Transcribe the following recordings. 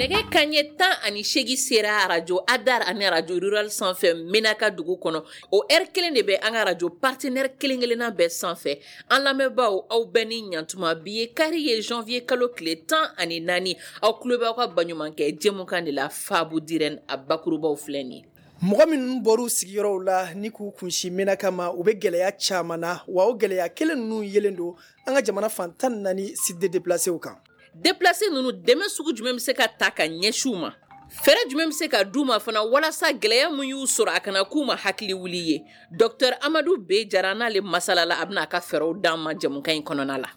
Nɛgɛ kanɲɛ 18 sera arajo Adar ani arajo Rural sanfɛ Menaka dugu kɔnɔ. O heure kelen de bɛ an ka arajo partenaire kelen kelenna bɛɛ sanfɛ. An lamɛnbaaw, aw bɛɛ ni ɲantuma. Bi ye kari ye, janvier kalo tile 14. Aw tulo bɛ aw ka baɲumankɛ jɛmukan de la, Fabu Dirɛn a bakurubaw filɛ nin ye. Mɔgɔ minnu bɔr'u sigiyɔrɔw la ni k'u kunsin Menaka ma, u bɛ gɛlɛya caman na, wa o gɛlɛya kelen ninnu yelen don an ka jamana fan 14 site de déplacés kan. Déplacés ninnu, dɛmɛ sugu jumɛn bɛ se ka ta ka ɲɛsin u ma? Fɛɛrɛ jumɛn bɛ se ka d'u ma fana walasa gɛlɛya min y'u sɔrɔ a kana k'u ma hakili wuli ye? Docteur Amadu B Jara n'ale masalala, a bɛna a ka fɛɛrɛw d'an ma jɛmukan in kɔnɔna la.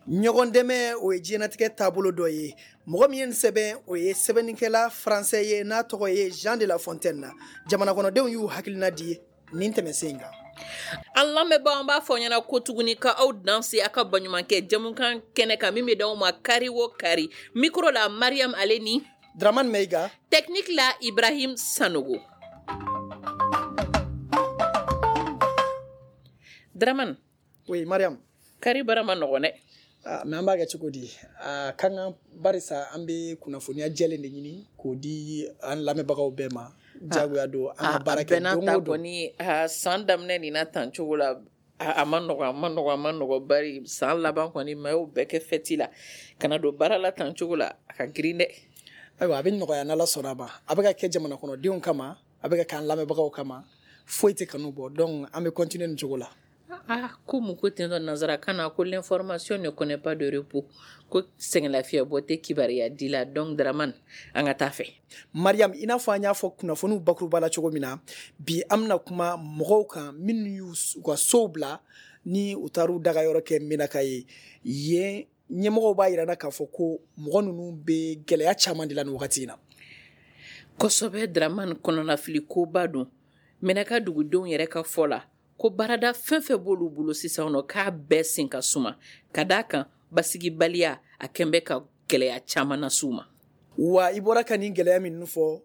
Ɲɔgɔn dɛmɛ, o ye diɲɛnatigɛ taabolo dɔ ye. Mɔgɔ min ye nin sɛbɛn, o ye sɛbɛnnikɛla faransɛ ye n'a tɔgɔ ye Jean de La Fontaine na. Jamana kɔnɔdenw y'u hakilina di nin tɛmɛsen in kan. An lamɛnbaaw, an b'a fɔ ɲɛna ko tuguni ka aw danse aw ka baɲumankɛ jɛmukan kɛnɛ kan min bɛ d'aw ma kari o kari. Micro la, Mariam ale ni Dramane Meiga, technique la, Ibrahim Sanogo. Dramane. Oui, Mariam. Kari bara ma nɔgɔn dɛ. Ah, mais an b'a kɛ cogo di? A ka kan, barisa an bɛ kunnafoniya jɛlen de ɲini k'o di an lamɛnbagaw bɛɛ ma. Jagoya don an ka baara kɛ don o don. Kɔni san daminɛ nin na tan cogo la, a ma nɔgɔn, a ma nɔgɔn, a ma nɔgɔn, bari san laban kɔni ma y'o bɛɛ kɛ fɛti la, ka na don baara la tan cogo la, a ka girin dɛ. Ayiwa, a bɛ nɔgɔya n'Ala sɔnna a ma. A bɛ ka kɛ jamana kɔnɔdenw kama, a bɛ ka kɛ an lamɛnbagaw kama, foyi tɛ kanu bɔ, donc an bɛ continuer nin cogo la. Ah, ko mun ko ten tɔ nanzarakan na ko l'information ne connaît pas de repos, ko sɛgɛnlafiɲɛbɔ tɛ kibaruya di la. Donc Dramane, an ka taa fɛ. Mariam, i n'a fɔ an y'a fɔ kunnafoniw bakuruba la cogo min na, bi an bɛna kuma mɔgɔw kan minnu y'u ka sow bila ni u taar'u dagayɔrɔ kɛ Menaka ye. Yen ɲɛmɔgɔw b'a yira k'a fɔ ko mɔgɔ ninnu bɛ gɛlɛya caman de la nin wagati in na. Kosɛbɛ Dramane, kɔnɔnafili koba don. Menaka dugudenw yɛrɛ ka fɔ la ko baarada fɛn fɛn b'olu bolo sisan nɔ, k'a bɛɛ sen ka suma, ka d'a kan basigibaliya a kɛn bɛ ka gɛlɛya caman las'u ma. Wa i bɔra ka nin gɛlɛya minnu fɔ,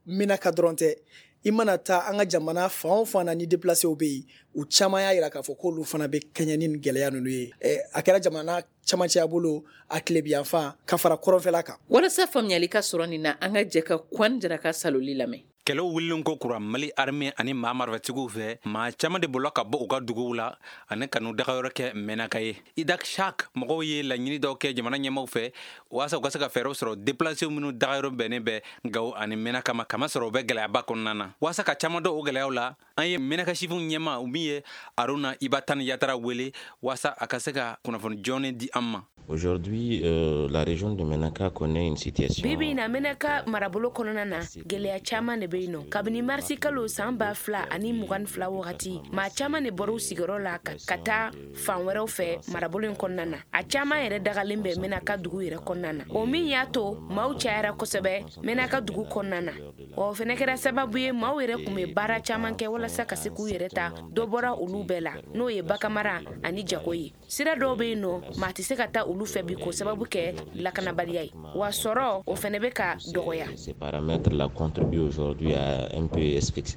Menaka dɔrɔn tɛ. I mana taa an ka jamana fan o fan na ni déplacés bɛ yen, u caman y'a yira k'a fɔ k'olu fana bɛ kɛɲɛ ni nin gɛlɛya ninnu ye. A kɛra jamana camancɛya bolo, a tilebiyanfan ka fara kɔrɔnfɛla kan. Walasa faamuyali ka sɔrɔ nin na, an ka jɛ ka Kwan Jara ka saloli lamɛn. Kɛlɛw wulilen ko kura Mali armée ani maa marifatigiw fɛ, maa caman de bolila ka bɔ u ka duguw la ani ka n'u dagayɔrɔ kɛ Menaka ye. Idak Shak mɔgɔw ye laɲini dɔw kɛ jamana ɲɛmaw fɛ walasa u ka se ka fɛɛrɛw sɔrɔ déplacés minnu dagayɔrɔ bɛnnen bɛ Gawo ani Menaka ma, kama sɔrɔ u bɛ gɛlɛyaba kɔnɔna na. Walasa ka caman dɔn o gɛlɛyaw la, an ye Menaka sifinw ɲɛma min ye Aruna Ibatani Yatara wele walasa a ka se ka kunnafoni jɔɔni di an ma. Aujourd'hui, la région de Menaka connaît une situation. Bi bi na, Menaka marabolo kɔnɔna na, gɛlɛya caman de bɛ yen nɔ. Kabini marisi kalo san 2022 wagati, maa caman de bɔra u sigiyɔrɔ la ka taa fan wɛrɛw fɛ marabolo in kɔnɔna na. A caman yɛrɛ dagalen bɛ Menaka dugu yɛrɛ kɔnɔna na. O min y'a to maaw cayara kosɛbɛ Menaka dugu kɔnɔna na. O fɛnɛ kɛra sababu ye, maaw yɛrɛ tun bɛ baara caman kɛ walasa ka se k'u yɛrɛ ta, dɔ bɔra olu bɛɛ la, n'o ye baganmara ani jago ye. Sira dɔw bɛ yen nɔ, maa tɛ se ka taa olu fɛ bi k'o sababu kɛ lakanabaliya ye, wa sɔrɔ o fɛnɛ bɛ ka dɔgɔya. Ces paramètres-là contribuent aujourd'hui à un peu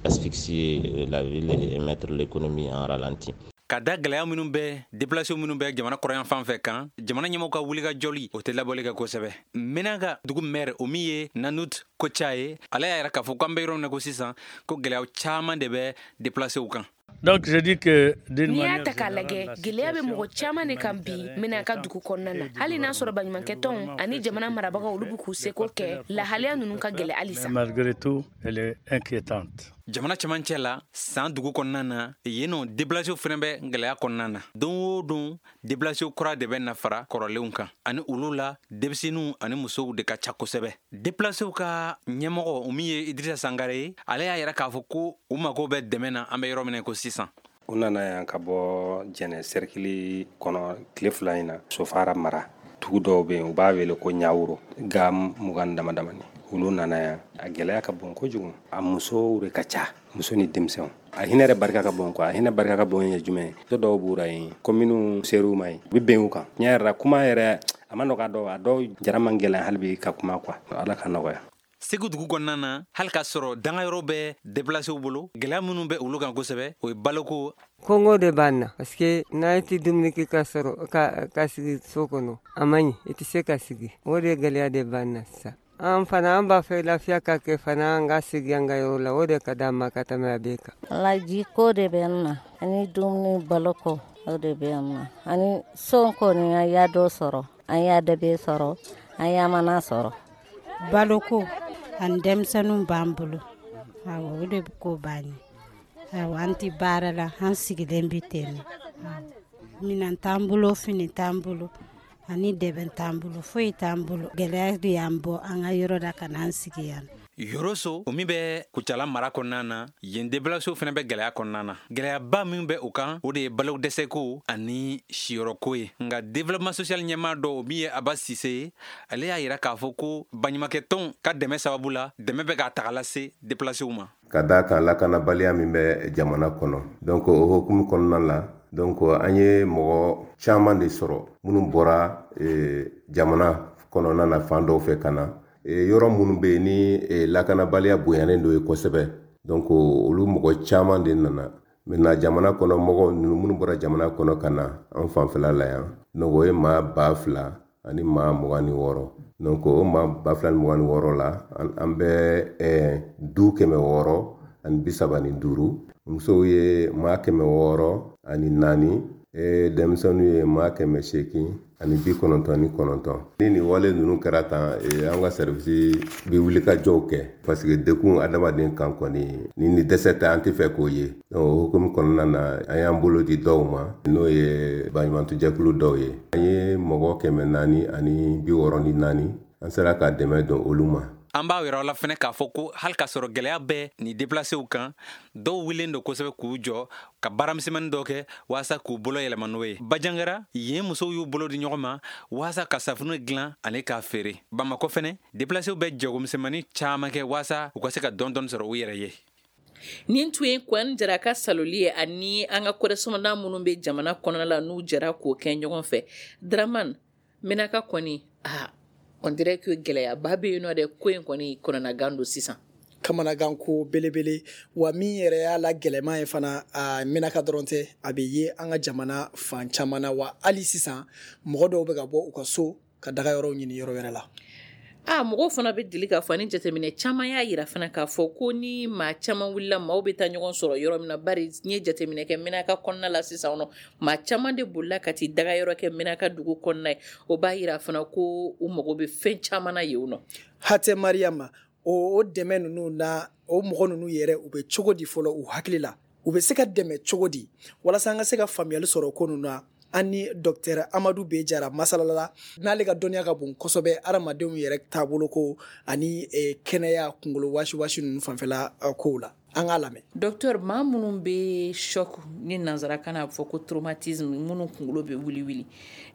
asphyxier la ville et mettre l'économie en ralenti. Ka da gɛlɛya minnu bɛ déplacés minnu bɛ jamana kɔrɔyan fan fɛ kan, jamana ɲɛmɔgɔw ka wulikajɔli o tɛ labɔli kɛ kosɛbɛ. Menaka dugu maire, o min ye Nanut Koca ye, ale y'a yira k'a fɔ k'an bɛ yɔrɔ min na ko sisan, ko gɛlɛya caman de bɛ déplacés kan. Donc je dis que d'une N'i y'a manière ta k'a lajɛ, générale, la gɛlɛya bɛ mɔgɔ situation caman de kan bi Menaka dugu kɔnɔna na. Hali n'a sɔrɔ baɲumankɛtɔnw ani jamana marabagaw, olu bɛ k'u seko kɛ, lahalaya ninnu ka gɛlɛ halisa. Mais malgré tout, elle est inquiétante. Jamana cɛmancɛ la, san dugu kɔnɔna na yen nɔ, déplacés fɛnɛ bɛ gɛlɛya kɔnɔna na. Don o don, déplacés kura de bɛ na fara kɔrɔlenw kan, ani olu la denmisɛnninw ani musow de ka ca kosɛbɛ. Déplacés ka ɲɛmɔgɔ, o min ye Idrissa Sangare ye, ale y'a yira k'a fɔ ko u mago bɛ dɛmɛ na an bɛ yɔrɔ min na ko sisan. U nana yan ka bɔ Jɛnɛ cercle kɔnɔ tile 2 in na, Sofara mara. Dugu dɔw bɛ yen, u b'a wele ko Ɲawuro, ga 20 dama damani. Olu nana yan, a gɛlɛya ka bon kojugu. A musow de ka ca, muso ni denmisɛnw. A hinɛ yɛrɛ barika ka bon quoi. A hinɛ barika ka bon ye jumɛn ye? Muso dɔw b'u ra yen, ko minnu ser'u ma yen, u bɛ bɛn u kan. Tiɲɛ yɛrɛ la, kuma yɛrɛ a ma nɔgɔ a dɔw, a dɔw jara man gɛlɛn hali bi ka kuma quoi. Ala ka nɔgɔya. Segu dugu kɔnɔna na, hali k'a sɔrɔ dangayɔrɔ bɛ déplacés bolo, gɛlɛya minnu bɛ olu kan kosɛbɛ, o ye baloko. Kɔngɔ de b'an na, parce que n'a tɛ dumuni kɛ ka sɔrɔ ka sigi so kɔnɔ, a man ɲi, i tɛ se ka sigi. O de gɛlɛya de b'an na sisan. An fana an b'a fɛ lafiya ka kɛ fana an ka sigi an ka yɔrɔ la, o de ka d'an ma ka tɛmɛ a bɛɛ kan. Laji ko de bɛ n na, ani dumuni baloko o de bɛ n na, ani son kɔni an y'a dɔ sɔrɔ, an y'a dɛbɛ sɔrɔ, an y'a mana sɔrɔ. Baloko ani denmisɛnninw b'an bolo, awɔ, o de ko b'an ye. Awɔ, an tɛ baara la, an sigilen bɛ ten nɔ. Minɛn t'an bolo, fini t'an bolo, ani dɛbɛn t'an bolo, foyi t'an bolo. Gɛlɛya de y'an bɔ an ka yɔrɔ la ka n'an sigi yan. Yoroso, o min bɛ Kucala mara kɔnɔna na, yen déplacéw fana bɛ gɛlɛya kɔnɔna na. Gɛlɛyaba min bɛ o kan, o de ye balo dɛsɛko ani siyɔrɔko ye. Nka développement social ɲɛmaa dɔw, min ye Aba Sise ye, ale y'a yira k'a fɔ ko baɲumankɛtɔnw ka dɛmɛ sababu la, dɛmɛ bɛ k'a taga lase déplacéw ma. Ka d'a kan lakanabaliya min bɛ jamana kɔnɔ, donc o hukumu kɔnɔna la, donc an ye mɔgɔ caman de sɔrɔ minnu bɔra jamana kɔnɔna na fan dɔw fɛ ka na yɔrɔ minnu bɛ yen ni lakanabaliya bonyanen don ye kosɛbɛ. Donc olu mɔgɔ caman de nana. Maintenant jamana kɔnɔ mɔgɔw ninnu minnu bɔra jamana kɔnɔ ka na an fanfɛla la yan, donc o ye maa 2026. Donc o maa 2026 la, an bɛ du 635, musow ye maa 604, denmisɛnninw ye maa 899. Ni nin wale ninnu kɛra tan, an ka service bɛ wuli ka jɔw kɛ, parce que dekun adamaden kan kɔni ni dɛsɛ tɛ, an tɛ fɛ k'o ye. Donc o hukumu kɔnɔna na, an y'an bolo di dɔw ma, n'o ye baɲumantɔjɛkulu dɔw ye. An ye mɔgɔ 464, an sera ka dɛmɛ don olu ma. An b'a yɔrɔ la fɛnɛ k'a fɔ ko hali k'a sɔrɔ gɛlɛya bɛ ni déplacéw kan, dɔw wulilen don kosɛbɛ k'u jɔ ka baaramisɛnmanin dɔw kɛ walasa k'u bolo yɛlɛma n'o ye. Bajangara, yen musow y'u bolo di ɲɔgɔn ma walasa ka safunɛ dilan ani k'a feere. Bamakɔ fɛnɛ, déplacéw bɛ jagomisɛnmanin caman kɛ walasa u ka se ka dɔɔni dɔɔni sɔrɔ u yɛrɛ ye. Nin tun ye Kɔni Jara ka saloli ye ani an ka correspondant minnu bɛ jamana kɔnɔna la, n'u jɛra k'o kɛ ɲɔgɔn fɛ. Dramane, Menaka kɔni, on dirait que gɛlɛyaba bɛ yen nɔ dɛ, ko in kɔni kɔnɔnagan don sisan. Kamanagan ko belebele, wa min yɛrɛ y'a la gɛlɛman ye fana, a Menaka dɔrɔn tɛ, a bɛ ye an ka jamana fan caman na. Wa hali sisan mɔgɔ dɔw bɛ ka bɔ u ka so ka daga yɔrɔw ɲini yɔrɔ wɛrɛ la. Mɔgɔw fana bɛ deli k'a fɔ, ani jateminɛ caman y'a yira fana k'a fɔ ko ni maa caman wulila, maaw bɛ taa ɲɔgɔn sɔrɔ yɔrɔ min na. Bari n ye jateminɛ kɛ Menaka kɔnɔna la sisan nɔ, maa caman de bolila ka t'i daga yɔrɔ kɛ Menaka dugu kɔnɔna ye. O b'a yira fana ko u mago bɛ fɛn caman na yen nɔ. Hatɛ Mariama, o dɛmɛ ninnu na, o mɔgɔ ninnu yɛrɛ u bɛ cogo di fɔlɔ u hakili la? U bɛ se ka dɛmɛ cogo di walasa an ka se ka faamuyali sɔrɔ ko ninnu na? An ni docteur Amadu B Jara masalala, n'ale ka dɔnniya ka bon kosɛbɛ adamadenw yɛrɛ taabolo ko ani kɛnɛya kunkolo wasi ninnu fanfɛla kow la. An k'a lamɛn. Docteur, maa minnu bɛ choc ni nanzarakan na a bɛ fɔ ko traumatisme, minnu kunkolo bɛ wuli wuli,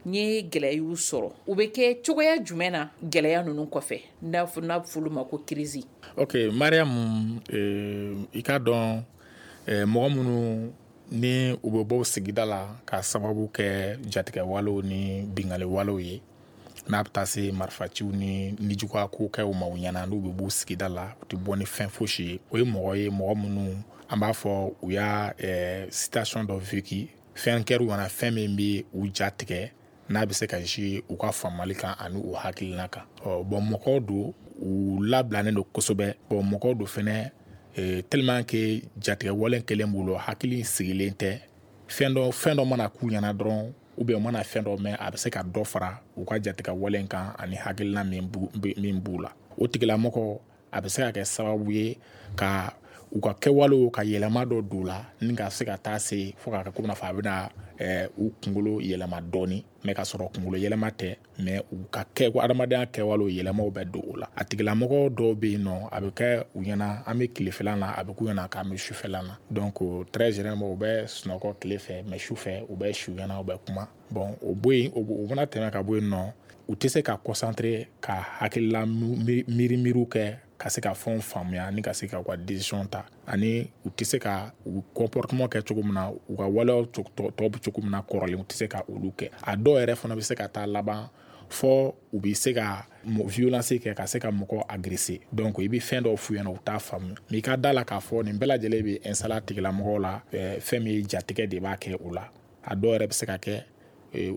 n ye gɛlɛya y'u sɔrɔ, u bɛ kɛ cogoya jumɛn na gɛlɛya ninnu kɔfɛ, n'a bɛ fɔ olu ma ko crise? Ok Mariam, i k'a dɔn mɔgɔ minnu ni u bɛ bɔ sigida la ka sababu kɛ jatigɛwalew ni binkanniwalew ye, n'a bɛ taa se marifaciw ni nijuguya ko kɛw ma u ɲɛna, n'u bɛ bɔ sigida la, u tɛ bɔ ni fɛn fosi ye. O ye mɔgɔ ye, mɔgɔ minnu an b'a fɔ u y'a situation dɔ vécu, fɛn kɛr'u ɲɛna, fɛn min bɛ u ja tigɛ, n'a bɛ se ka jouer u ka faamuyali kan ani u hakilina kan. Bon, mɔgɔw don, u labilalen don kosɛbɛ. Bon, mɔgɔw don fɛnɛ, tellement que jatigɛwale kelen b'u la, hakili sigilen tɛ. Fɛn dɔ mana k'u ɲɛna dɔrɔn, ou bien u mana fɛn dɔ mɛn, a bɛ se ka dɔ fara u ka jatigɛwale kan ani hakilina min b'u la. O tigilamɔgɔ, a bɛ se ka kɛ sababu ye ka u ka kɛwalew ka yɛlɛma dɔ don u la, ni ka se ka taa se fo k'a kɛ komi n'a fɔ a bɛna u kunkolo yɛlɛma dɔɔni, mais ka sɔrɔ kunkolo yɛlɛma tɛ, mais u ka kɛ adamadenya kɛwalew yɛlɛmaw bɛ don o la. A tigilamɔgɔ dɔw bɛ yen nɔ, a bɛ kɛ u ɲɛna an bɛ tilefɛla la, a bɛ k'u ɲɛna k'an bɛ sufɛla la. Donc très généralement u bɛ sunɔgɔ tile fɛ, mais sufɛ u bɛ su ɲɛna, u bɛ kuma. Bon, o bɔ yen, o mana tɛmɛ ka bɔ yen nɔ, u tɛ se ka concentrer ka hakilila miiri kɛ ka se ka fɛnw faamuya ni ka se ka u ka décision ta, ani u tɛ se ka u comportement kɛ cogo min na, u ka waleyaw tɔ bɛ cogo min na kɔrɔlen, u tɛ se ka olu kɛ. A dɔw yɛrɛ fana bɛ se ka taa laban fɔ u bɛ se ka violence kɛ, ka se ka mɔgɔ agresser. Donc i bɛ fɛn dɔw f'u ɲɛna, u t'a faamu. Mais i ka da la k'a fɔ nin bɛɛ lajɛlen bɛ installer a tigilamɔgɔw la, fɛn min ye jatigɛ de b'a kɛ u la. A dɔw yɛrɛ bɛ se ka kɛ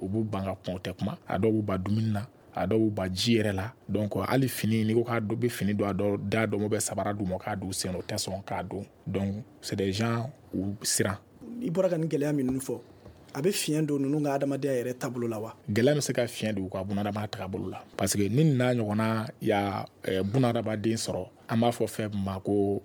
u b'u ban ka kuma, u tɛ kuma. A dɔw b'u ban dumuni na. A dɔw ba ji yɛrɛ la. Donc hali fini, n'i ko k'a bɛ fini don, a dɔw da dɔn bɛ sabara d'u ma k'a don sen, o tɛ sɔn k'a don. Donc c'est des gens u siran. I bɔra ka nin gɛlɛya minnu fɔ, a bɛ fiɲɛ don ninnu ka adamadenya yɛrɛ taabolo la wa? Gɛlɛya bɛ se ka fiɲɛ don u ka bunadamaya taabolo la, parce que ni n'a ɲɔgɔnna ya bunadamaden sɔrɔ, an b'a fɔ fɛn min ma ko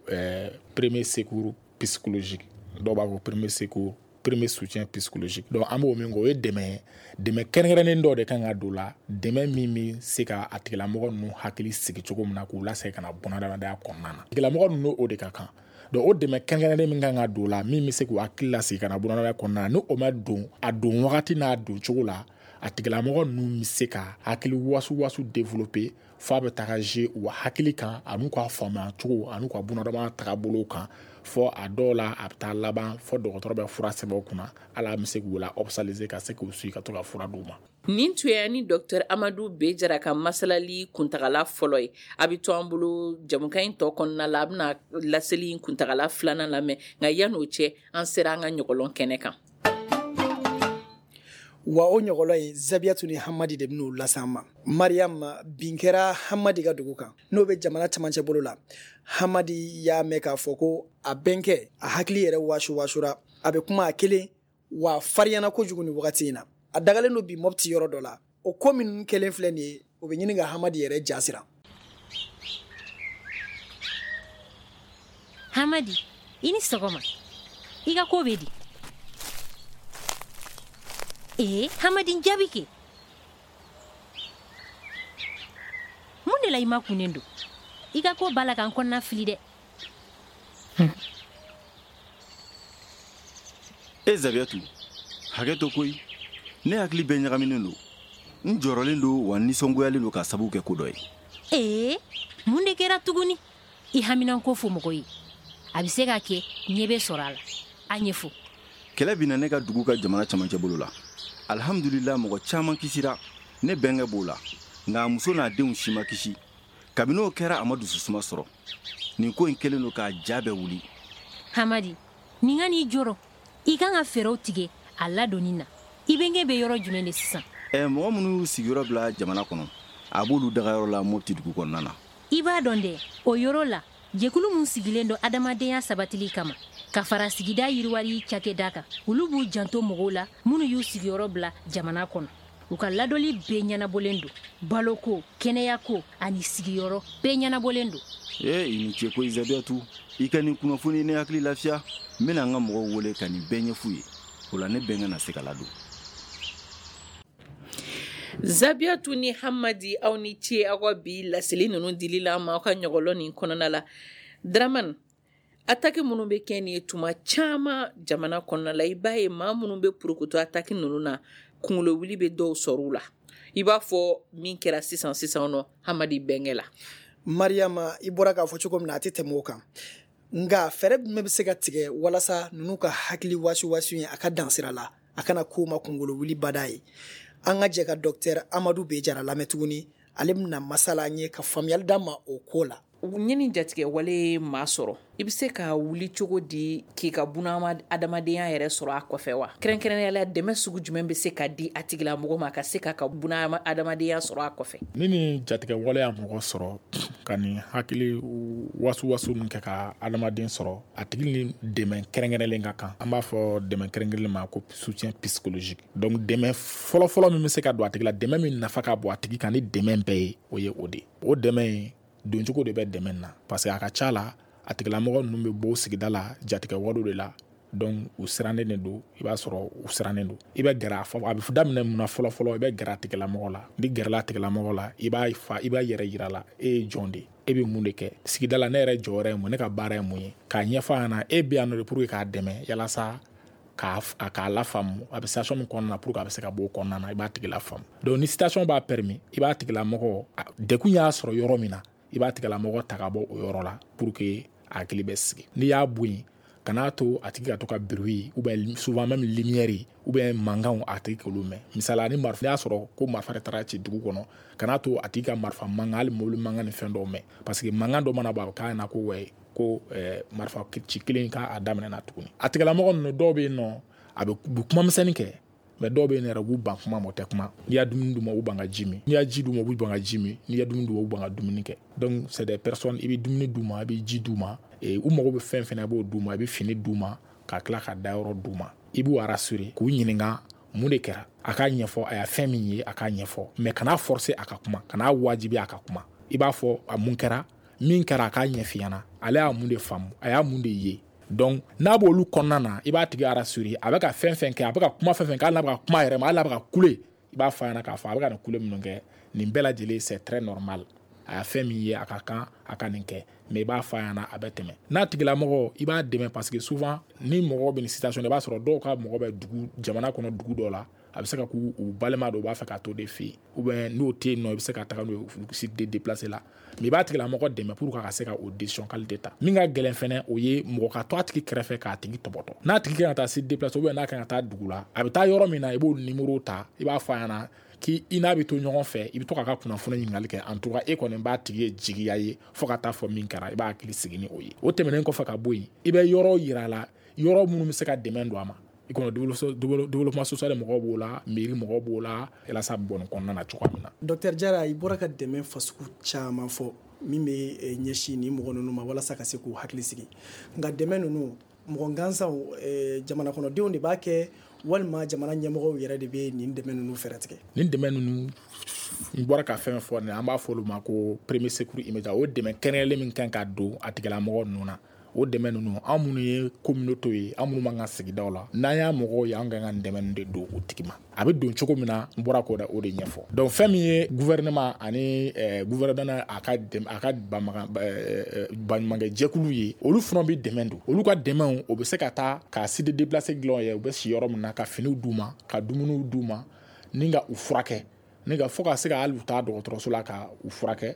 premier secours psychologique, dɔw b'a fɔ premier secours, premier soutien psychologique. Donc an b'o min kɛ, o ye dɛmɛ kɛrɛnkɛrɛnnen dɔ de kan ka don la, dɛmɛ min bɛ se ka a tigilamɔgɔ ninnu hakili sigi cogo min na k'u lasegin ka na bunadamadenya kɔnɔna na. Tigilamɔgɔ ninnu, o de ka kan. Donc o dɛmɛ kɛrɛnkɛrɛnnen min kan ka don la, min bɛ se k'u hakili lasegin ka na bunadamadenya kɔnɔna na, ni o ma don a don wagati n'a don cogo la, a tigilamɔgɔ ninnu bɛ se ka hakili wasu développer f'a bɛ taga jouer u hakili kan, an'u ka faamuya cogo, an'u ka bunadamadenya tagabolo kan, fɔ a dɔw la a bɛ taa laban fɔ dɔgɔtɔrɔ bɛ fura sɛbɛn u kunna, hali a bɛ se k'u la hospitaliser ka se k'u suit ka to ka fura d'u ma. Nin tun ye ni Dr Amadu Bejara ka masalali kuntagala fɔlɔ ye. A bɛ to an bolo jamukan in tɔ kɔnɔna la, a bɛna laseli in kuntagala filanan lamɛn, nka yan'o cɛ, an sera an ka ɲɔgɔlɔn kɛnɛ kan. Wa o ɲɔgɔlɔn in, Zabiyatu ni Hamadi de bɛn'o lase an ma. Mariam, bin kɛra Hamadi ka dugu kan, n'o bɛ jamana camancɛ bolo la. Hamadi y'a mɛn k'a fɔ ko a bɛnkɛ, a hakili yɛrɛ wasu wasura, a bɛ kuma a kelen wa fariyana kojugu nin wagati in na. A dagalen don bi Mɔpiti yɔrɔ dɔ la. O ko minnu kɛlen filɛ nin ye, o bɛ ɲini ka Hamadi yɛrɛ jasira. Hamadi, i ni sɔgɔma. I ka ko bɛ di? Ee, Hamadi, jaabi kɛ. Mun de la i ma kunnen don? I ka ko b'a la ka n kɔnɔna fili dɛ. E Zabiyatu, hakɛ to koyi, ne hakili bɛɛ ɲagaminen don, n jɔrɔlen don wa nisɔngoyalen don k'a sababu kɛ ko dɔ ye. Ee, mun de kɛra tuguni? I haminanko fɔ mɔgɔ ye, a bɛ se ka kɛ ɲɛ bɛ sɔrɔ a la. A ɲɛfɔ. Kɛlɛ binna ne ka dugu ka jamana camancɛ bolo la. Alhamdulila, mɔgɔ caman kisira, ne bɛnkɛ b'o la, nka a muso n'a denw si ma kisi. Kabini o kɛra, a ma dususuma sɔrɔ. Nin ko in kɛlen don k'a ja bɛɛ wuli. Hamadi, nin ka n'i jɔrɔ. I kan ka fɛɛrɛw tigɛ a ladonni na. I bɛnkɛ bɛ yɔrɔ jumɛn de sisan? Mɔgɔ minnu y'u sigiyɔrɔ bila jamana kɔnɔ, a b'olu dagayɔrɔ la Mopti dugu kɔnɔna na. I b'a dɔn dɛ, o yɔrɔ la, jɛkulu min sigilen don adamadenya sabatili kama ka fara sigida yiriwali cakɛda kan, olu b'u janto mɔgɔw la minnu y'u sigiyɔrɔ bila jamana kɔnɔ. U ka ladɔli bɛɛ ɲɛnabɔlen don, baloko, kɛnɛyako ani sigiyɔrɔ bɛɛ ɲɛnabɔlen don. Ee, i ni ce koyi Zabiyatu, i ka nin kunnafoni ne hakili lafiya. N bɛna n ka mɔgɔw wele ka nin bɛɛ ɲɛf'u ye, o la ne bɛnkɛ na se ka ladon. Zabiyatu ni Hamadi, aw ni ce aw ka bi laseli ninnu dili la ma aw ka ɲɔgɔlɔn nin kɔnɔna la. Dramane, attaque minnu bɛ kɛ nin ye tuma caman jamana kɔnɔna la, i b'a ye maa minnu bɛ porokoto attaque ninnu na, kunkolo wuli bɛ dɔw sɔrɔ u la, i b'a fɔ min kɛra sisan sisan nɔ Hamadi bɛnkɛ la. Mariama, i bɔra k'a fɔ cogo min na, a tɛ tɛmɛ o kan, nka fɛɛrɛ jumɛn bɛ se ka tigɛ walasa ninnu ka hakili wasu wasu ye a ka dansira la, a kana ko ma kunkolo wuli bada ye? An ka jɛ ka Docteur Amadu Bejara lamɛn tuguni, ale bɛna masala an ye ka faamuyali d'an ma o ko la. Ɲini jatigɛ wale maa sɔrɔ, i bɛ se ka wuli cogo di k'i ka buna adamadenya yɛrɛ sɔrɔ a kɔfɛ wa? Kɛrɛnkɛrɛnnenya la, dɛmɛ sugu jumɛn bɛ se ka di a tigilamɔgɔ ma ka se k'a ka buna adamadenya sɔrɔ a kɔfɛ? Ni jatigɛ wale y'a mɔgɔ sɔrɔ ka nin hakili wasu wasu min kɛ ka adamaden sɔrɔ, a tigi ni dɛmɛ kɛrɛnkɛrɛnlen ka kan. An b'a fɔ dɛmɛ kɛrɛnkɛrɛnlen ma ko soutien psychologique. Donc dɛmɛ fɔlɔfɔlɔ min bɛ se ka don a tigi la, dɛmɛ min nafa ka bon a tigi kan ni dɛmɛ bɛɛ ye, o ye o de ye. O dɛmɛ in doncogo de bɛ dɛmɛ na, parce que a ka ca la, a tigilamɔgɔ ninnu bɛ bɔ sigida la jatigɛ walew de la. Donc u sirannen de don, i b'a sɔrɔ u sirannen don. I bɛ gɛrɛ a fɔ, a bɛ daminɛ mun na fɔlɔ-fɔlɔ, i bɛ gɛrɛ a tigilamɔgɔ la. Ni gɛrɛla a tigilamɔgɔ la, i b'a fa, i b'a yɛrɛ yira la, e ye jɔn de ye, e bɛ mun de kɛ sigida la, ne yɛrɛ jɔyɔrɔ ye mun, ne ka baara ye mun ye, k'a ɲɛfɔ a ɲɛna e bɛ yan nɔ de pour que k'a dɛmɛ yalasa k'a lafaamu a bɛ situation min kɔnɔna na, pour que a bɛ se ka bɔ o kɔnɔna na, i b'a tigi lafaamu. Donc ni situation b'a permis, i b'a tigilamɔgɔ, degun y'a sɔrɔ yɔrɔ min na, i b'a tigilamɔgɔ ta ka bɔ o yɔrɔ la pour que a hakili bɛ sigi. N'i y'a bɔ yen, kan'a to a tigi ka to ka bruit ou bien souvent même lumière ou bien mankanw a tigi k'olu mɛn. Misali, ni marifa, n'i y'a sɔrɔ ko marifa de taara ci dugu kɔnɔ, kan'a to a tigi ka marifa mankan, hali mobili mankan ni fɛn dɔw mɛn, parce que mankan dɔ mana bɔ, a bɛ k'a ɲɛna ko wɛ ko marifa ci kelen k'a daminɛ na tuguni. A tigilamɔgɔ ninnu dɔw bɛ yen nɔ, a bɛ kuma misɛnnin kɛ, Mais dɔw bɛ yen yɛrɛ, u b'u ban kuma ma, o tɛ kuma. N'i y'a dumuni d'u ma, u ban ka ji min. N'i y'a ji d'u ma, u b'u ban ka ji min. N'i y'a dumuni d'u ma, u ban ka dumuni kɛ. Donc c'est des personnes, i bɛ dumuni d'u ma, i bɛ ji d'u ma, u mago bɛ fɛn fɛn na, i b'o d'u ma, i bɛ fini d'u ma, ka tila ka dayɔrɔ d'u ma. I b'u rassurer, k'u ɲininka mun de kɛra, a k'a ɲɛfɔ, a y'a fɛn min ye, a k'a ɲɛfɔ. Mais kana forcer a ka kuma, kana wajibi a ka kuma. I b'a fɔ a mun kɛra, min kɛra, a k'a ɲɛf'i ɲɛna, ale y'a mun de faamu, a y'a mun de ye. Donc n'a b'olu kɔnɔna na, i b'a tigi rassurer. A bɛ ka fɛn fɛn kɛ, a bɛ ka kuma fɛn fɛn kɛ, hali n'a bɛ ka kuma yɛrɛ ma, hali n'a bɛ ka kule, i b'a fɔ a ɲɛna k'a fɔ a bɛ ka nin kule minnu kɛ, nin bɛɛ lajɛlen, c'est très normal. A y'a fɛn min ye, a ka kan a ka nin kɛ. Mais i b'a fɔ a ɲɛna, a bɛ tɛmɛ. N'a tigilamɔgɔ, i b'a dɛmɛ, parce que souvent ni mɔgɔ bɛ nin situation, i b'a sɔrɔ dɔw ka mɔgɔ bɛ dugu, jamana kɔnɔ dugu dɔ la, a bɛ se ka k'u balima dɔ, u b'a fɛ ka to de fɛ yen, ou bien n'o tɛ yen nɔ, i bɛ se ka taga n'o ye site de déplacé la. Mais i b'a tigilamɔgɔ dɛmɛ pour que a ka se ka o décision qualité ta. Min ka gɛlɛn fɛnɛ, o ye mɔgɔ ka to a tigi kɛrɛfɛ k'a tigi tɔbɔtɔ. N'a tigi kan ka taa site déplacé, ou bien n'a kan ka taa dugu la, a bɛ taa yɔrɔ min na, i b'o numéro ta, i b'a fɔ a ɲɛna k'i i n'a bɛ to ɲɔgɔn fɛ, i bɛ to k'a ka kunnafoni ɲininkali kɛ. En tout cas, e kɔni b'a tigi ye jigiya ye fo ka taa fɔ min kɛra, i b'a hakili sigi ni o ye. O tɛmɛnen kɔfɛ ka bɔ yen, i bɛ yɔrɔ yira a la, yɔrɔ minnu bɛ se ka dɛmɛ don a ma. I kɔnɔ développement social mɔgɔw b'o la, mairie mɔgɔw b'o la, yalasa bɔ nin kɔnɔna na cogoya min na. Docteur Jara, i bɔra ka dɛmɛ fasugu caman fɔ min bɛ ɲɛsin nin mɔgɔ ninnu ma walasa ka se k'u hakili sigi. Nka dɛmɛ ninnu, mɔgɔ gansanw, jamana kɔnɔdenw de b'a kɛ, walima jamana ɲɛmɔgɔw yɛrɛ de bɛ nin dɛmɛ ninnu fɛɛrɛ tigɛ? Nin dɛmɛ ninnu, n bɔra ka fɛn fɔ nin, an b'a fɔ olu ma ko premier secours immédiat. O dɛmɛ kɛrɛnkɛrɛnlen min kan ka don a tigilamɔgɔ ninnu na, o dɛmɛ ninnu, an minnu ye communauté ye, an minnu b'an ka sigidaw la, n'an y'a mɔgɔw ye, an kan ka dɛmɛ ninnu de don o tigi ma. A bɛ don cogo min na, n bɔra k'o o de ɲɛfɔ. Donc fɛn min ye gouvernement ani gouvernement a ka baɲumankɛ jɛkulu ye, olu fana bɛ dɛmɛ don. Olu ka dɛmɛw, o bɛ se ka taa ka site déplacé dilan ye, u bɛ si yɔrɔ min na, ka finiw d'u ma, ka dumuniw d'u ma, ni ka u furakɛ, ni ka fo ka se ka hali u taa dɔgɔtɔrɔso la ka u furakɛ.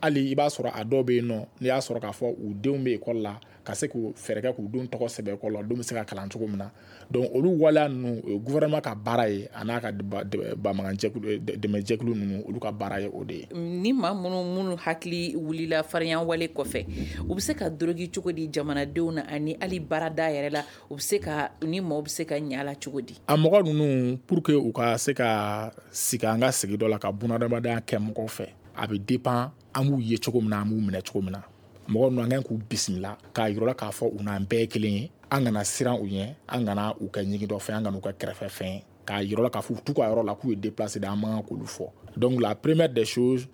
Hali i b'a sɔrɔ a dɔw bɛ yen nɔ, n'i y'a sɔrɔ k'a fɔ u denw bɛ ekɔli la, ka se k'u fɛɛrɛ kɛ k'u denw tɔgɔ sɛbɛn ekɔli la, denw bɛ se ka kalan cogo min na. Donc olu waleya ninnu, o ye gouvernement ka baara ye, a n'a ka baɲumankɛjɛkulu, dɛmɛjɛkulu ninnu, olu ka baara ye o de ye. Ni maa minnu hakili wulila farinya wale kɔfɛ, u bɛ se ka dorogi cogo di jamanadenw na, ani hali baarada yɛrɛ la, u bɛ se ka ni maaw bɛ se ka ɲɛ a la cogo di? A mɔgɔ ninnu, pour que u ka se ka sigi an ka sigi dɔ la, ka bunadamadenya kɛ mɔgɔw fɛ, a bɛ dépend an b'u ye cogo min na, an b'u minɛ cogo min na. Mɔgɔ ninnu, an kan k'u bisimila k'a yira k'a fɔ u n'an bɛɛ ye kelen ye. An kana siran u ɲɛ, an kana u kɛ ɲigin dɔ fɛn, an kana u kɛ kɛrɛfɛ fɛn, k'a yira k'a fɔ u t'u ka yɔrɔ la, k'u ye déplacé de, an man kan k'olu fɔ. Donc la première des choses,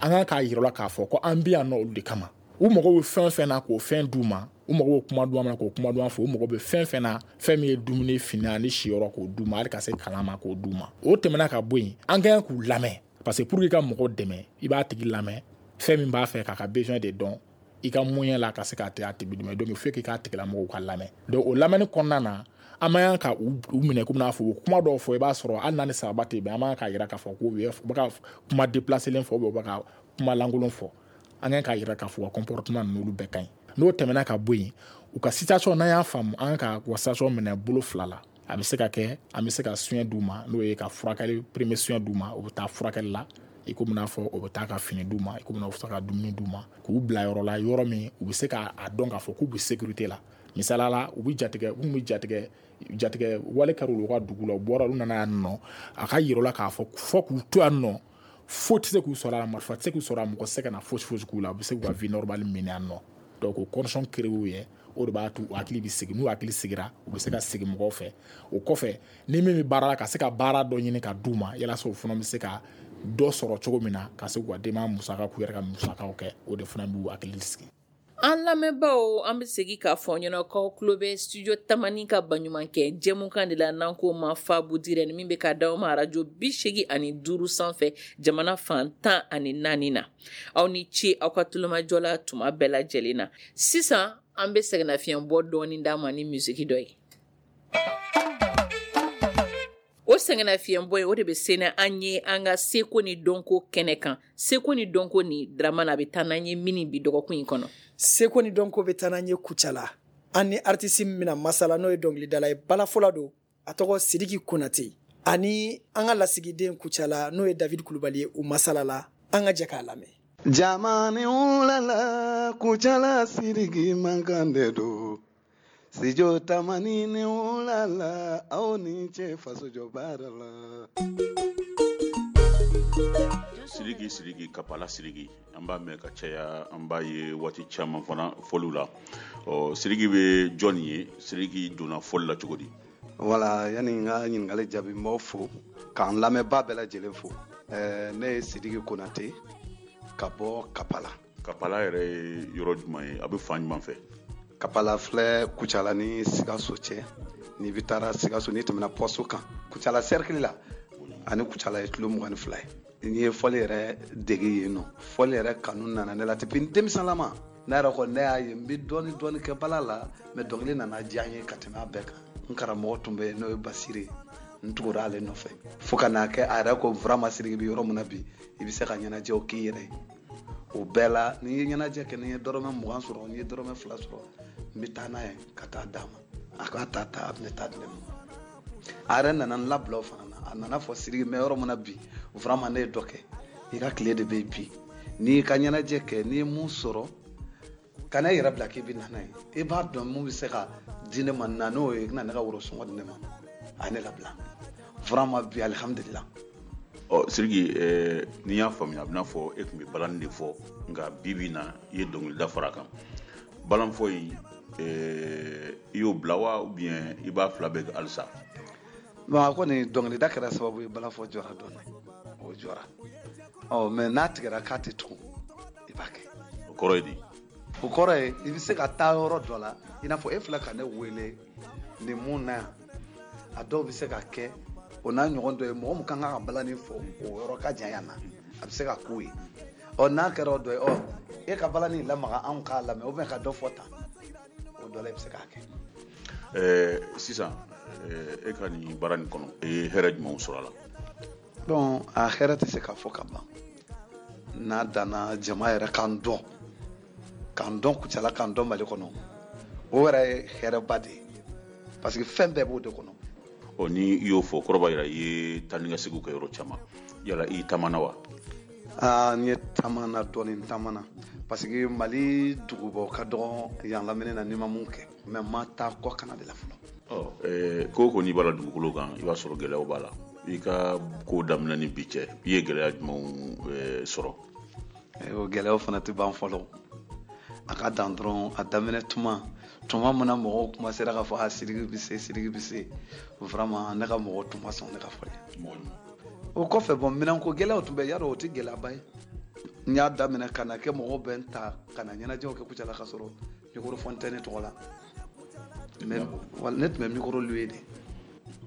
an kan k'a yira k'a fɔ ko an bɛ yan nɔ olu de kama. U mago bɛ fɛn fɛn na, k'o fɛn d'u ma. U mago bɛ kuma duman na, k'o kuma duman fɔ. U mago bɛ fɛn fɛn na, fɛn min ye dumuni, fini ani siyɔrɔ, k'o d'u ma, hali ka se kalan ma, k'o d'u ma. O tɛmɛna ka bɔ yen, an kan k'u lamɛn, parce que pour que ka mɔgɔ dɛmɛ, i b'a tigi lamɛn, fɛn min b'a fɛ, k'a ka besoin de dɔn, i ka moyen la ka se k'a tigi dɛmɛ. Donc il faut k'i k'a tigilamɔgɔw ka lamɛn. Donc o lamɛnni kɔnɔna na, an man kan ka u minɛ komi n'a fɔ u kuma dɔw fɔ, i b'a sɔrɔ hali n'a ni sababa tɛ bɛn, an man kan k'a yira k'a fɔ ko u bɛ ka kuma déplacé fɔ, ou bien u bɛ ka kuma lankolon fɔ. An kan k'a yira k'a fɔ u ka comportement ninnu, olu bɛɛ ka ɲi. N'o tɛmɛna ka bɔ yen, u ka situation, n'an y'a faamu, an kan ka u ka situation minɛ bolo fila la. A bɛ se ka kɛ an bɛ se ka soin d'u ma, n'o ye ka furakɛli, premier soin d'u ma, u bɛ taa furakɛli la, i komi n'a fɔ o bɛ taa ka fini d'u ma, i komi n'a fɔ ka dumuni d'u ma, k'u bila yɔrɔ la, yɔrɔ min u bɛ se k'a dɔn k'a fɔ k'u bɛ sécurité la. Misaliya la, u bɛ jatigɛ, u bɛ jatigɛ wale kɛra olu ka dugu la, u bɔra, olu nana yan nɔ, a ka yira u la k'a fɔ fɔ k'u to yan nɔ, foyi tɛ se k'u sɔrɔ a la, marifa tɛ se k'u sɔrɔ a, mɔgɔ tɛ se ka na fosi fosi k'u la, u bɛ se k'u ka vie normale mener yan nɔ. Donc o condition créé u ye, o de b'a to u hakili bɛ sigi. N'u hakili sigira, u bɛ se ka sigi mɔgɔw fɛ. O kɔfɛ, ni min bɛ baara la, ka se ka baara dɔ ɲini ka d'u ma, yalasa u fana bɛ se ka dɔ sɔrɔ cogo min na, ka se k'u ka denbaya musaka, k'u yɛrɛ ka musakaw kɛ, o de fana b'u hakili sigi. An lamɛnbaaw, an bɛ segin k'a fɔ ɲɛna k'aw tulo bɛ studio Tamani ka baɲumankɛ jɛmukan de la, n'an k'o ma Fabu Dirɛni, min bɛ ka d'aw ma arajo 85 sanfɛ, jamana fan 14 na. Aw ni ce aw ka tulomajɔ la tuma bɛɛ lajɛlen na. Sisan an bɛ sɛgɛnnafiɲɛ bɔ dɔɔni d'a ma ni misiki dɔ ye. O sɛgɛnnafiɲɛbɔ ye, o de bɛ se an ye an ka seko ni dɔnko kɛnɛ kan. Seko ni dɔnko ni Dramane, a bɛ taa n'an ye min bi dɔgɔkun in kɔnɔ? Seko ni dɔnko bɛ taa n'an ye Kucala. An ni artiste min bɛna masala, n'o ye dɔnkilidala ye, balafɔla don, a tɔgɔ Sidiki Konate, ani an ka lasigiden Kucala, n'o ye David Kulubali ye, u masala la. An ka jɛ k'a lamɛn. Jamani wulala, Kucala Sidiki mankan de don. Sijo Tamani ni wula la, aw ni ce fasojɔ baara la. Sidiki, Sidiki, Kapala Sidiki, an b'a mɛn ka caya, an b'a ye waati caman fana fɔliw la. Ɔ, Sidiki bɛ jɔn ye? Sidiki donna fɔli la cogo di? Wala, yanni n ka ɲininkali jaabi, n b'aw fo k'an lamɛnbaa bɛɛ lajɛlen fo. Ne ye Sidiki Konate ka bɔ Kapala. Kapala yɛrɛ ye yɔrɔ jumɛn ye? A bɛ fan jumɛn fɛ? Kapala filɛ Kucala ni Sikaso cɛ. N'i bɛ taara Sikaso, n'i tɛmɛna poste kan, Kucala cercle la, ani Kucala ye kilo 22 ye. N'i ye fɔli yɛrɛ dege yen nɔ, fɔli yɛrɛ kanu nana ne la depuis n denmisɛnlama. Ne yɛrɛ kɔni, ne y'a ye n bɛ dɔɔni dɔɔni kɛ bala la, mais dɔnkili nana diya n ye ka tɛmɛ a bɛɛ kan. N karamɔgɔ tun bɛ yen, n'o ye Basiri ye, n tugura ale nɔfɛ fo ka n'a kɛ a yɛrɛ ko vraiment Sidiki bɛ yɔrɔ min na bi, i bɛ se ka ɲɛnajɛw k'i yɛrɛ ye. O bɛɛ la, n'i ye ɲɛnajɛ kɛ, n'i ye dɔrɔmɛ 20 sɔrɔ, n'i ye dɔrɔmɛ 2 sɔrɔ, n bɛ taa n'a ye ka taa d'a ma, a k'a ta ta, a bɛ ne ta di ne ma. A yɛrɛ nana n labila o fana na. A nana fɔ Sidiki, n bɛ yɔrɔ min na bi, vraiment ne ye dɔ kɛ, i ka tile de bɛ yen bi, n'i ka ɲɛnajɛ kɛ, n'i ye mun sɔrɔ, kana i yɛrɛ bila k'i bɛ na n'a ye, i b'a dɔn mun bɛ se ka di ne ma, na n'o ye, i bɛna ne ka worosɔngɔ di ne ma. A ye ne labila vraiment bi, alihamudulila. Ɔ Sidiki, n'i y'a faamuya, a bɛna fɔ e tun bɛ balani de fɔ, nka bi bi in na i ye dɔnkilida fara a kan. Balanfɔ in, i y'o bila wa, ou bien i b'a fila bɛɛ kɛ halisa? Bon, a kɔni dɔnkilida kɛra sababu ye balafɔ jɔra dɔɔni, o jɔra. Ɔ, mais n'a tigɛra k'a tɛ tugun, i b'a kɛ. O kɔrɔ ye di? O kɔrɔ ye i bɛ se ka taa yɔrɔ dɔ la, i n'a fɔ e filɛ ka ne wele nin mun na yan, a dɔw bɛ se ka kɛ o n'a ɲɔgɔn dɔ ye, mɔgɔ min kan ka balani fɔ o yɔrɔ ka jan yan na, a bɛ se ka k'o ye. Ɔ, n'a kɛra o dɔ ye, ɔ, e ka balani lamaga anw k'a lamɛn, ou bien ka dɔ fɔ tan, o dɔ la i bɛ se k'a kɛ. Sisan e ka nin baara nin kɔnɔ, i ye hɛrɛ jumɛnw sɔrɔ a la? Bon, a hɛrɛ tɛ se ka fɔ ka ban. N'a danna jama yɛrɛ k'an dɔn, k'an dɔn Kucala, k'an dɔn Mali kɔnɔ, o yɛrɛ ye hɛrɛba de ye, parce que fɛn bɛɛ b'o de kɔnɔ. Ɔ, ni i y'o fɔ, kɔrɔ b'a jira i ye taa ni ka seginw kɛ yɔrɔ caman. Yala i taamana wa? Aa, n ye taamana dɔɔni, n taamana, parce que Mali dugubaw ka dɔgɔ yan lamini na, n'i ma mun kɛ, mais n ma taa kɔ kana de la fɔlɔ. Ɔ, ko o ko n'i b'a la dugukolo kan, i b'a sɔrɔ gɛlɛyaw b'a la. I ka ko daminɛ ni bi cɛ, i ye gɛlɛya jumɛnw sɔrɔ? O gɛlɛyaw fana tɛ ban fɔlɔ. A ka dan dɔrɔn, a daminɛ tuma min na mɔgɔw kuma sera k'a fɔ a Sidiki bɛ se, Sidiki bɛ se, vraiment ne ka mɔgɔw tun ma sɔn ne ka fɔli. O kɔfɛ, bɔn, minɛnko gɛlɛyaw tun bɛ, yarɔ o tɛ gɛlɛyaba ye. N y'a daminɛ ka na kɛ mɔgɔw bɛ n ta ka na ɲɛnajɛw kɛ Kucala, ka sɔrɔ microphone tɛ ne tɔgɔ la. Mais ne tun bɛ micro louer de.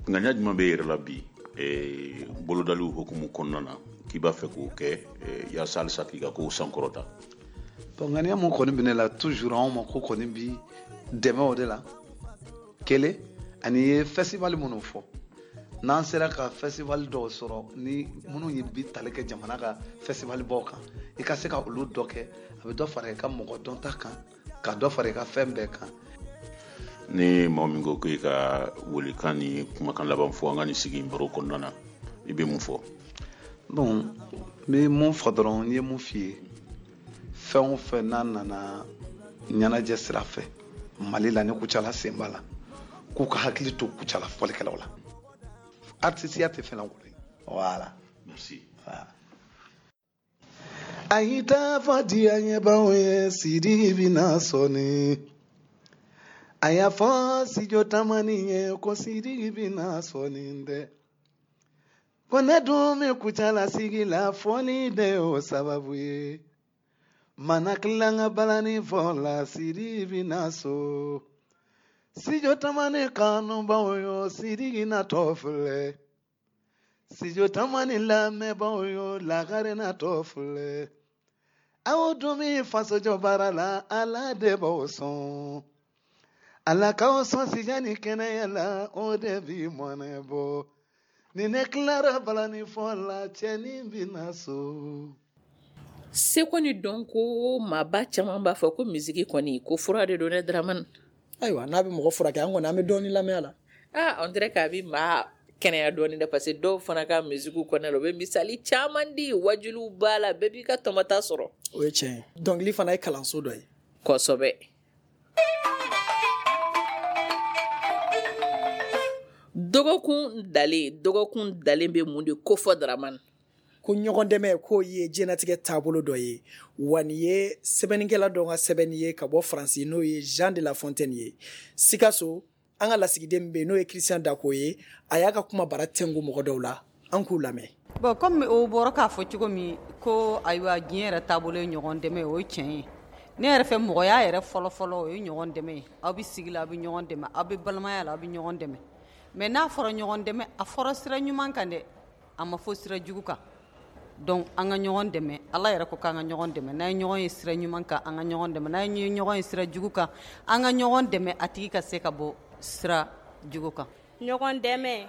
Ŋaniya jumɛn bɛ e yɛrɛ la bi bolodaliw hukumu kɔnɔna na k'i b'a fɛ k'o kɛ yaasa halisa k'i ka kow sankɔrɔta? Bon, ŋaniya mun kɔni bɛ ne la toujours, anw ma ko kɔni bi dɛmɛ o de la. Kelen, ani ye festival minnu fɔ, n'an sera ka festival dɔw sɔrɔ ni minnu ye bi tali kɛ jamana ka festival baw kan, i ka se ka olu dɔ kɛ, a bɛ dɔ fara i ka mɔgɔ dɔnta kan, ka dɔ fara i ka fɛn bɛɛ kan. Ni maa min ko k'i ka welekan ni kumakan laban fɔ an ka nin sigi baro kɔnɔna na, i bɛ mun fɔ? Bon, n bɛ mun fɔ dɔrɔn, n ye mun f'i ye, fɛn o fɛn n'a nana ɲɛnajɛ sira fɛ Mali la, ni Kucala sen b'a la, k'u ka hakili to Kucala fɔlikɛlaw la. Artisiya tɛ fɛn lankolon ye. Voilà. Merci. Voilà. A y'i ta fɔ diyaɲɛbaw ye, Sidiki bɛna sɔnni. A y'a fɔ Sijo Tamani ye ko Sidiki bɛna sɔnni dɛ. Ko ne dun bɛ Kucala sigi la, fɔli de y'o sababu ye. Mana tila n ka balani fɔ la, Sidiki bɛna so. Sijo Tamani kanubaw yo, Sidiki natɔ filɛ. Sijo Tamani lamɛnbaw yo, lagare natɔ filɛ. Aw dun bɛ fasojɔ baara la, Ala de b'aw sɔn. Ala k'aw sɔn sija ni kɛnɛya la, o de bi mɔnɛ bɔ. Ni ne tilara balani fɔ la, cɛnin bɛ na so. Seko ni dɔnko, maaba caman b'a fɔ ko misiki kɔni, ko fura de don ne, Dramane. Ayiwa, n'a bɛ mɔgɔ furakɛ, an kɔni an bɛ dɔɔni lamɛn a la. Ah, on dirait k'a bɛ maa kɛnɛya dɔɔni dɛ, parce que dɔw fana ka musique kɔnɔna la, u bɛ misali caman di, wajuliw b'a la, bɛɛ b'i ka tɔmɔta sɔrɔ. O ye tiɲɛ ye, dɔnkili fana ye kalanso dɔ ye. Kosɛbɛ. Dɔgɔkun dalen, dɔgɔkun dalen bɛ mun de kofɔ, Dramane? Ko ɲɔgɔn dɛmɛ, k'o ye diɲɛnatigɛ taabolo dɔ ye. Wa nin ye sɛbɛnnikɛla dɔ ka sɛbɛnni ye ka bɔ Faransi, n'o ye Jean de La Fontaine ye. Sikaso, an ka lasigiden bɛ yen, n'o ye Christian Dako ye, a y'a ka kuma bara tɛnku mɔgɔ dɔw la. An k'u lamɛn. Bon, comme o bɔra k'a fɔ cogo min ko ayiwa, diɲɛ yɛrɛ taabolo ye ɲɔgɔn dɛmɛ, o ye tiɲɛ ye. Ne yɛrɛ fɛ, mɔgɔya yɛrɛ fɔlɔfɔlɔ, o ye ɲɔgɔn dɛmɛ ye. Aw bɛ sigi la, aw bɛ ɲɔgɔn dɛmɛ, aw bɛ balimaya la, aw bɛ ɲɔgɔn dɛmɛ. Mais n'a fɔra ɲɔgɔn dɛmɛ, a fɔra sira ɲuman kan dɛ, a ma fɔ sira jugu kan. Donc an ka ɲɔgɔn dɛmɛ. Ala yɛrɛ ko k'an ka ɲɔgɔn dɛmɛ. N'an ye ɲɔgɔn ye sira ɲuman kan, an ka ɲɔgɔn dɛmɛ. N'an ye ɲɔgɔn ye sira jugu kan, an ka ɲɔgɔn dɛmɛ, a tigi ka se ka bɔ sira jugu kan. Ɲɔgɔn dɛmɛ,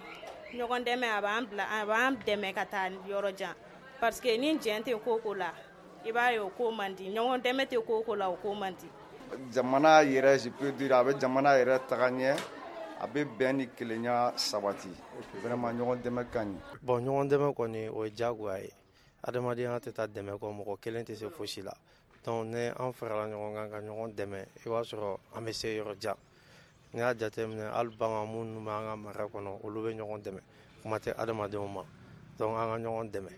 ɲɔgɔn dɛmɛ, a b'an bila, a b'an dɛmɛ ka taa yɔrɔ jan, parce que ni jɛn tɛ ko ko la, i b'a ye o ko man di. Ɲɔgɔn dɛmɛ tɛ ko ko la, o ko man di. Jamana yɛrɛ, je peux dire, a bɛ jamana yɛrɛ taga ɲɛ, a bɛ bɛn ni kelenya sabati. Vraiment, ɲɔgɔn dɛmɛ ka ɲi. Bon, ɲɔgɔn dɛmɛ kɔni, o ye diyagoya ye. Adamadenya tɛ taa dɛmɛ kɔ, mɔgɔ kelen tɛ se fosi la. Donc ni an farala ɲɔgɔn kan ka ɲɔgɔn dɛmɛ, i b'a sɔrɔ an bɛ se yɔrɔ jan. N'i y'a jateminɛ, hali bagan minnu bɛ an ka mara kɔnɔ, olu bɛ ɲɔgɔn dɛmɛ, kuma tɛ adamadenw ma. Donc an ka ɲɔgɔn dɛmɛ.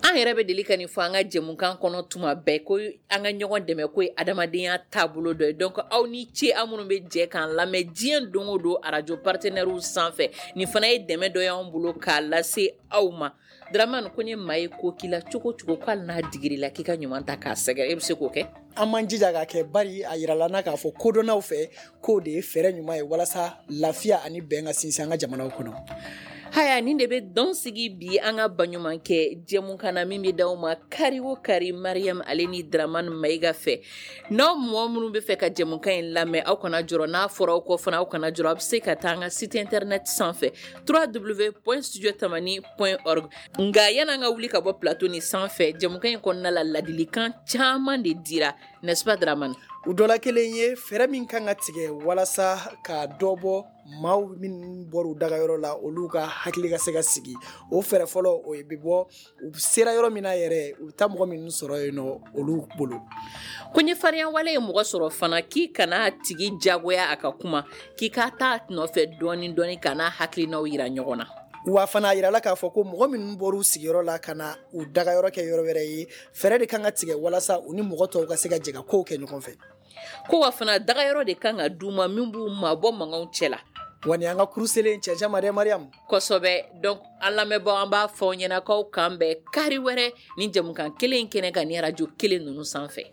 An yɛrɛ bɛ deli ka nin fɔ an ka jɛmukan kɔnɔ tuma bɛɛ, ko an ka ɲɔgɔn dɛmɛ, ko ye adamadenya taabolo dɔ ye. Donc aw ni ce, aw minnu bɛ jɛ k'an lamɛn diɲɛ don o don arajo partenaires sanfɛ. Nin fana ye dɛmɛ dɔ y'anw bolo k'a lase aw ma. Dramane, ko ni maa ye ko k'i la cogo cogo, ko hali n'a digir'i la, k'i ka ɲuman ta k'a sɛgɛrɛ, e bɛ se k'o kɛ? An m'an jija k'a kɛ, bari a yirala na k'a fɔ kodɔnnaw fɛ k'o de ye fɛɛrɛ ɲuman ye walasa lafiya ani bɛn ka sinsin an ka jamanaw kɔnɔ. Haya, nin de bɛ dɔn sigi bi an ka baɲumankɛ jɛmukan na, min bɛ d'aw ma kari o kari, Mariam ale ni Dramane Mayiga fɛ. N'aw mɔgɔ minnu bɛ fɛ ka jɛmukan in lamɛn, aw kana jɔrɔ. N'a fɔra aw kɔ fana, aw kana jɔrɔ, aw bɛ se ka taa an ka site internet sanfɛ, www.studiotamani.org. Nka yan'an ka wuli ka bɔ plateau ni sanfɛ, jɛmukan in kɔnɔna la, ladilikan caman de dira, n'est-ce pas, Dramane? U dɔ la kelen ye fɛɛrɛ min kan ka tigɛ walasa ka dɔ bɔ maaw minnu bɔra u dagayɔrɔ la, olu ka hakili ka se ka sigi. O fɛɛrɛ fɔlɔ, o ye bɛ bɔ u sera yɔrɔ min na yɛrɛ, u bɛ taa mɔgɔ minnu sɔrɔ yen nɔ, olu bolo. Ko ni farinya wale ye mɔgɔ sɔrɔ fana, k'i kana tigi jagoya a ka kuma, k'i ka taa nɔfɛ dɔɔni dɔɔni, ka n'a hakilinaw yira ɲɔgɔn na. Wa fana, a yirala k'a fɔ ko mɔgɔ minnu bɔra u sigiyɔrɔ la ka na u dagayɔrɔ kɛ yɔrɔ wɛrɛ ye, fɛɛrɛ de kan ka tigɛ walasa u ni mɔgɔ tɔw ka se ka jɛ ka kow kɛ ɲɔgɔn fɛ. Ko wa fana, dagayɔrɔ de kan ka d'u ma min b'u mabɔ mankanw cɛ la. Wa ni an ka kuruselen cɛncɛn ma dɛ, Mariam. Kosɛbɛ. Donc an lamɛnbaaw, an b'a fɔ aw ɲɛna k'aw kan bɛn kari wɛrɛ ni jɛmukan kelen in kɛnɛ kan, ni arajo kelen ninnu sanfɛ.